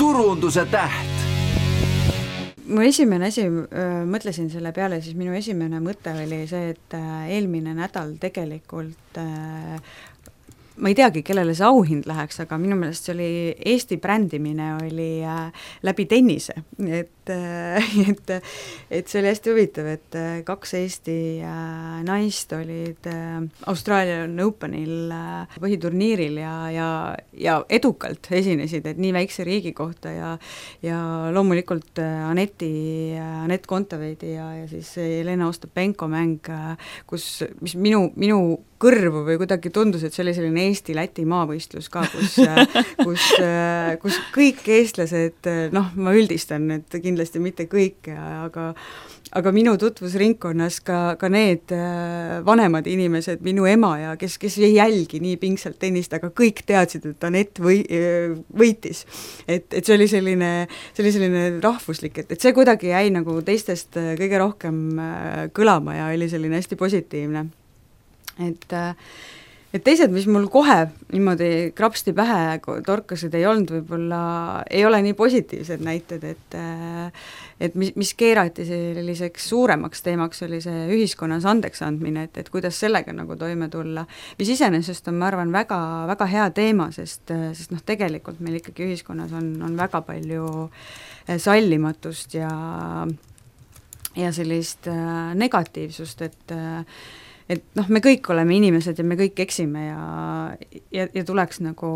turunduse täht. Mu esimene asi, mõtlesin selle peale, siis minu esimene mõte oli see, et eelmine nädal tegelikult ma ei teagi, kellele see auhind läheks, aga minu meelest see oli Eesti brändimine oli läbi tennise, et see oli hästi huvitav, et 2 Eesti naist olid Australian Openil põhiturniiril ja edukalt esinesid, et nii väikse riigi kohta ja loomulikult Anett Kontaveidi ja siis Jelena Ostapenko mäng, mis minu kõrvu või kuidagi tundus, et see oli selline Eesti-Läti maavõistlus ka, kus kõik eestlased, ma üldistan, et kindlasti mitte kõik, aga minu tutvusringkonnas ka need vanemad inimesed, minu ema ja kes ei jälgi nii pingsalt tennist, aga kõik teadsid, et Anett võitis. Et see oli selline rahvuslik, et see kuidagi jäi nagu teistest kõige rohkem kõlama ja oli selline hästi positiivne. Et teised, mis mul kohe niimoodi krapsti pähe torkasid, ei olnud võib-olla, ei ole nii positiivsed näited, et mis keerati selliseks suuremaks teemaks, oli see ühiskonnas andeks andmine, et kuidas sellega nagu toime tulla, mis iseenesest on, ma arvan, väga, väga hea teema, sest tegelikult meil ikkagi ühiskonnas on väga palju sallimatust ja sellist negatiivsust, et me kõik oleme inimesed ja me kõik eksime ja tuleks nagu,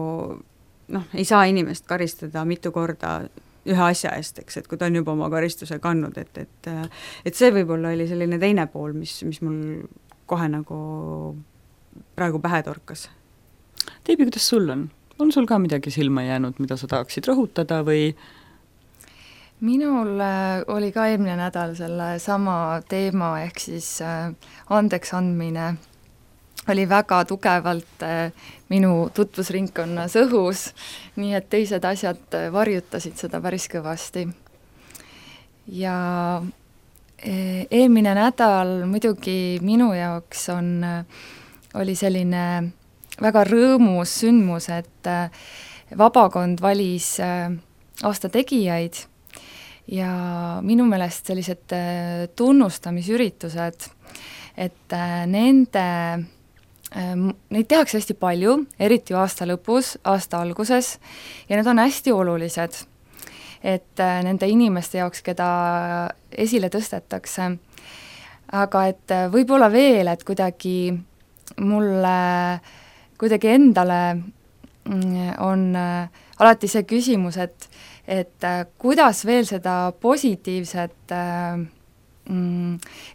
ei saa inimest karistada mitu korda ühe asja eest, eks, et kui ta on juba oma karistuse kandnud, et see võib-olla oli selline teine pool, mis mul kohe nagu praegu pähe torkas. Teibi, kuidas sul on? On sul ka midagi silma jäänud, mida sa tahaksid rõhutada või? Minul oli ka eelmine nädal selle sama teema, ehk siis andeks andmine oli väga tugevalt minu tutvusringkonnas õhus, nii et teised asjad varjutasid seda päris kõvasti. Ja eelmine nädal muidugi minu jaoks oli selline väga rõõmus sündmus, et vabakond valis aasta tegijaid ja minu meelest sellised tunnustamisüritused, et neid tehakse hästi palju, eriti aasta lõpus, aasta alguses, ja need on hästi olulised, et nende inimeste jaoks, keda esile tõstetakse. Aga et võib-olla veel, et kuidagi mulle, kuidagi endale on alati see küsimus, et kuidas veel seda positiivset,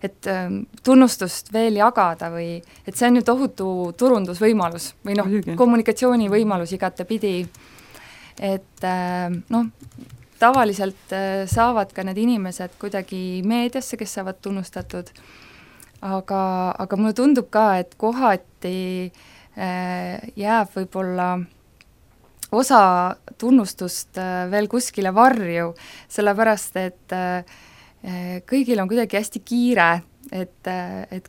et tunnustust veel jagada või et see on ju tohutu turundusvõimalus või kommunikatsioonivõimalus igatepidi, et tavaliselt saavad ka need inimesed kuidagi meediasse, kes saavad tunnustatud, aga mulle tundub ka, et kohati jääb võib-olla osa tunnustust veel kuskile varju, sellepärast et kõigil on kuidagi hästi kiire, et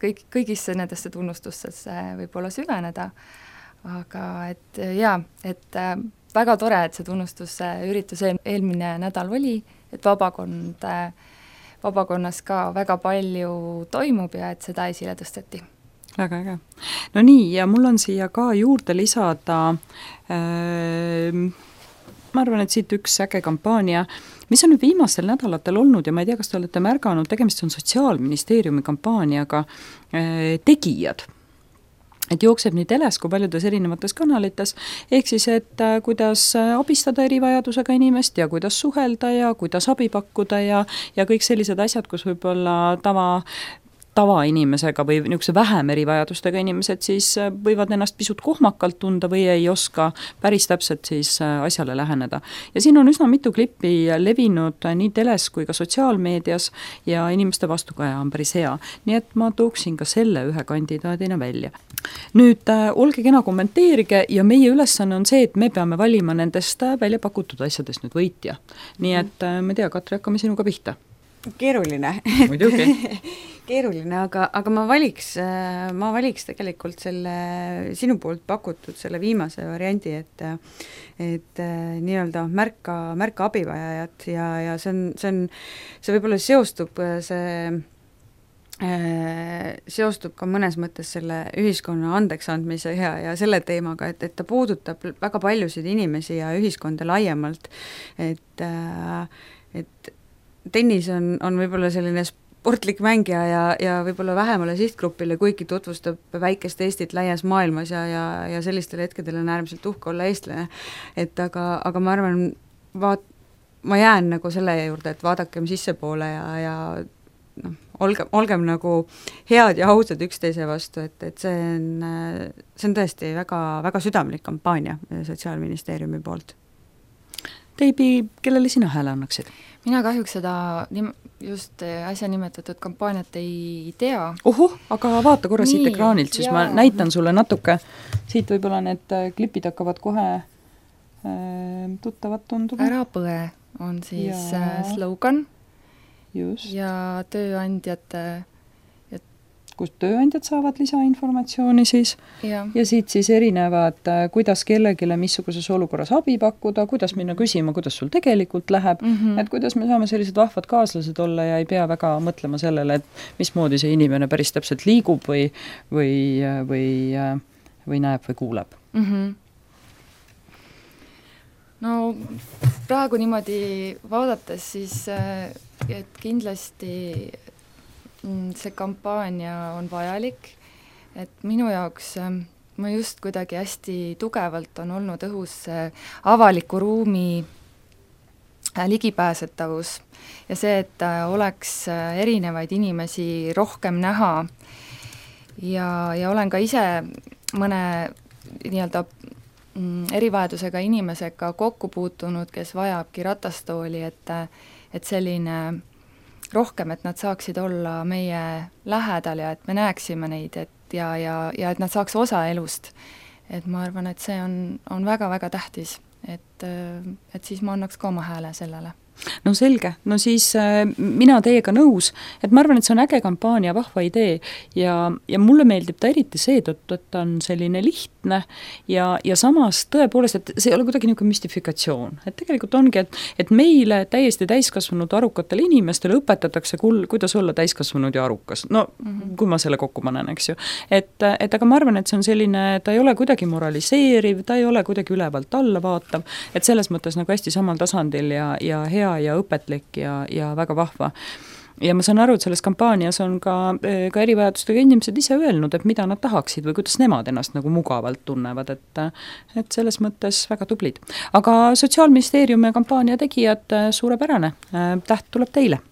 kõigisse nendesse tunnustustesse võib-olla süveneda, aga et väga tore, et see tunnustusüritus eelmine nädal oli, et vabakonnas ka väga palju toimub ja et seda esile tõsteti. Väga äge. No nii, ja mul on siia ka juurde lisada, ma arvan, et siit üks äge kampaania, mis on nüüd viimastel nädalatel olnud ja ma ei tea, kas te olete märganud, tegemist on Sotsiaalministeeriumi kampaaniaga Tegijad. Et jookseb nii teles kui paljudes erinevates kanalites, ehk siis, et kuidas abistada erivajadusega inimest ja kuidas suhelda ja kuidas abi pakkuda ja kõik sellised asjad, kus võib-olla tavainimesega või niisuguse vähem erivajadustega inimesed siis võivad ennast pisut kohmakalt tunda või ei oska päris täpselt siis asjale läheneda. Ja siin on üsna mitu klippi levinud nii teles kui ka sotsiaalmeedias ja inimeste vastukaja on päris hea. Nii et ma tooksin ka selle ühe kandidaadina välja. Nüüd olge kena, kommenteerige ja meie ülesanne on see, et me peame valima nendest välja pakutud asjadest nüüd võitja. Nii et ma ei tea, Katri, hakkame sinuga pihta. keeruline. Muidugi. Keeruline, aga ma valiks tegelikult selle sinu poolt pakutud selle viimase variandi, et nii-öelda märka abivajajat ja see võib-olla seostub ka mõnes mõttes selle ühiskonna andeks andmise ja selle teemaga, et ta puudutab väga paljusid inimesi ja ühiskonda laiemalt, et tennis on võib-olla selline sportlik mängija ja võib-olla vähemale sihtgrupile, kuigi tutvustab väikest Eestit laias maailmas ja sellistel hetkedel on äärmiselt uhke olla eestlane. Et aga ma arvan, ma jään nagu selle juurde, et vaadakem sissepoole ja noh, olgem nagu head ja ausad üksteise vastu, et see on tõesti väga, väga südamlik kampaania Sotsiaalministeeriumi poolt. Teibi, kellele sina hääle annaksid? Mina kahjuks seda just äsja nimetatud kampaaniat ei tea. Aga vaata korra siit ekraanilt, siis ma näitan sulle natuke, siit võib-olla need klipid hakkavad kohe tuttavad tunduma. Ära põe on siis slogan. Just. Ja tööandjate kus tööandjad saavad lisainformatsiooni siis ja siit siis erinevad, kuidas kellegile missuguses olukorras abi pakkuda, kuidas minna küsima, kuidas sul tegelikult läheb, et kuidas me saame sellised vahvad kaaslased olla ja ei pea väga mõtlema sellele, et mismoodi see inimene päris täpselt liigub või näeb või kuuleb. No praegu niimoodi vaadates siis, et kindlasti see kampaania on vajalik, et minu jaoks ma just kuidagi hästi tugevalt on olnud õhus avaliku ruumi ligipääsetavus ja see, et oleks erinevaid inimesi rohkem näha ja olen ka ise mõne nii-öelda erivajadusega inimesega kokku puutunud, kes vajabki ratastooli, et selline rohkem, et nad saaksid olla meie lähedal ja et me näeksime neid, et ja et nad saaks osa elust. Et ma arvan, et see on väga-väga tähtis, et siis ma annaks ka oma hääle sellele. No selge, no siis mina teiega nõus, et ma arvan, et see on äge kampaania, vahva idee ja mulle meeldib ta eriti seetõttu, et ta on selline lihtne ja samas tõepoolest, et see ei ole kuidagi niisugune müstifikatsioon, et tegelikult ongi, et meile täiesti täiskasvanud arukatele inimestele õpetatakse, kuidas olla täiskasvanud ja arukas, no kui ma selle kokku panen, eks ju, et aga ma arvan, et see on selline, ta ei ole kuidagi moraliseeriv, ta ei ole kuidagi ülevalt alla vaatav, et selles mõttes nagu hästi samal tasandil ja hea ja õpetlik ja väga vahva. Ja ma saan aru, et selles kampaanias on ka erivajadustega inimesed ise öelnud, et mida nad tahaksid või kuidas nemad ennast nagu mugavalt tunnevad, et selles mõttes väga tublid. Aga Sotsiaalministeeriumi kampaania tegijad suurepärane, täht tuleb teile!